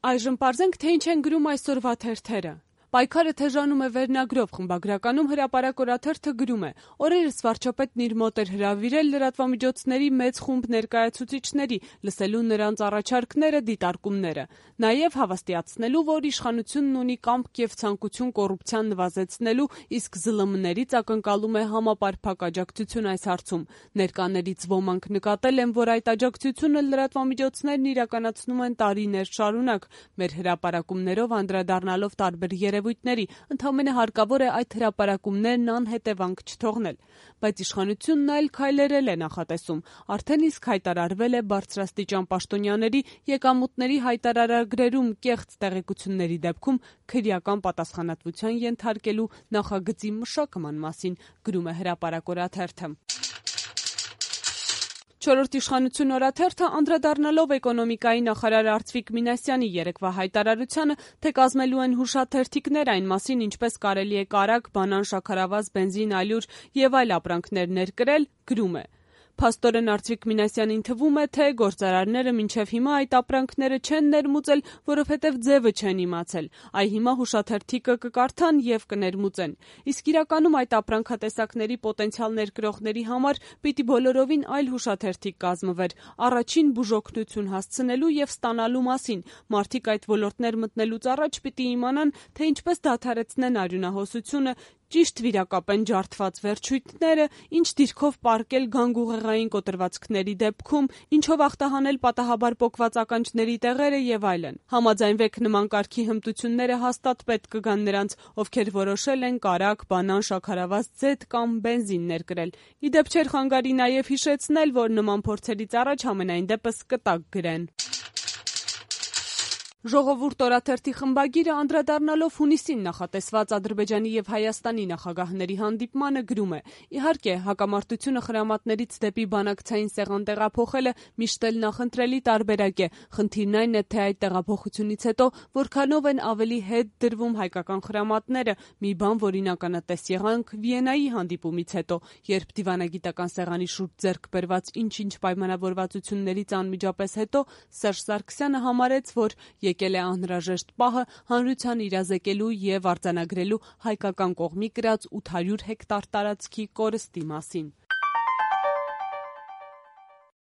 Այժմ պարզենք, թե ինչ են գրում այսօրվա թերթերը։ Պայքարը թեժանում է վերնագրով խմբագրականում հրապարակ օրաթերթը գրում է. օրերս վարչապետն իր մոտ էր հրավիրել լրատվամիջոցների մեծ խումբ ներկայացուցիչների, լսելու նրանց առաջարկները, դիտարկումները, նաև հավաստիացնելու, որ իշխանությունն ունի կամք եւ ցանկություն կոռուպցիան նվազեցնելու, իսկ ԶԼՄ-ներից ակնկալում է համապարփակ աջակցություն այս հարցում։ Ներկաներից ոմանք նկատել են, որ այդ աջակցությունը լրատվամիջոցներն իրականացնում են տարիներ շարունակ։ Մեր հրապարակումներով անդրադառնալով տարբեր երևույթների, ընդամենը հարկավոր է այդ հրապարակումներն անհետևանք չթողնել։ Բայց իշխանությունն այլ քայլերել է նախատեսում։ Արդեն իսկ հայտարարվել է բարձրաստիճան պաշտոնյաների եկամուտների հայտարարագրերում կեղծ տեղեկությունների դեպքում քրեական պատասխանատվության ենթարկելու նախագծի մշակման մասին, գրում է հրապարակ օրաթերթը։ Չորրորդ իշխանություն օրաթերթը անդրադառնալով էկոնոմիկայի նախարար Արծվիկ Մինասյանի երեկվա հայտարարությանը, թե կազմելու են հուշաթերթիկներ այն մասին, ինչպես կարելի է կարագ, բանան, շաքարավազ, բենզին, ալյուր եւ այլ ապրանքներ ներկրել, գրում է. Փաստորեն Արծվիկ Մինասյանին թվում է, թե գործարարները մինչև հիմա այդ ապրանքները չեն ներմուծել, որովհետև ձևը չեն իմացել։ Այ հիմա հուշաթերթիկը կկարդան եւ կներմուծեն։ Իսկ իրականում այդ ապրանքատեսակների պոտենցիալ ներկրողների համար պիտի բոլորովին այլ հուշաթերթիկ կազմվեր, առաջին բուժօգնություն հասցնելու եւ ստանալու մասին։ Մարդիկ այդ ոլորտներ մտնելուց առաջ պիտի իմանան, թե ինչպես դադարեցնեն արյունահոսությունը, ճիշտ վիրակապեն ջարդված վերջույթները, ինչ դիրքով պարկել գանգուղեղային կոտրվածքների դեպքում, ինչով ախտահանել պատահաբար պոկված ականջների տեղերը եւ այլն։ Համաձայնվեք նման կարգի հմտությունները հաստատ պետք կգան նրանց, ովքեր որոշել են կարագ, բանան, շաքարավազ, ձեթ կամ բենզին ներկրել։ Իդեպ չէր խանգարի նաեւ հիշեցնել, որ նման փորձերից առաջ համենայն դեպս կտակ գրեն։ Ժողովուրդ օրաթերթի խմբագիրը անդրադառնալով հունիսին նախատեսված Ադրբեջանի եւ Հայաստանի նախագահների հանդիպմանը գրում է. իհարկե, հակամարտությունը խրամատներից դեպի բանակցային սեղան տեղափոխելը միշտ էլ նախընտրելի տարբերակ է։ Խնդիրն այն է, թե այդ տեղափոխությունից հետո որքանով են ավելի հետ դրվում հայկական խրամատները, մի բան, որին ականատես եղանք Վիեննայի հանդիպումից հետո, երբ դիվանագիտական սեղանի շուրջ ձեռք բերված ինչ-ինչ պայմանավորվածություններից անմիջապես հետո Սերժ Սարգսյանը համարեց, որ եկել է անհրաժեշտ պահը հանրության իրազեկելու եւ արձանագրելու հայկական կողմի կրած 800 հեկտար տարածքի կորստի մասին։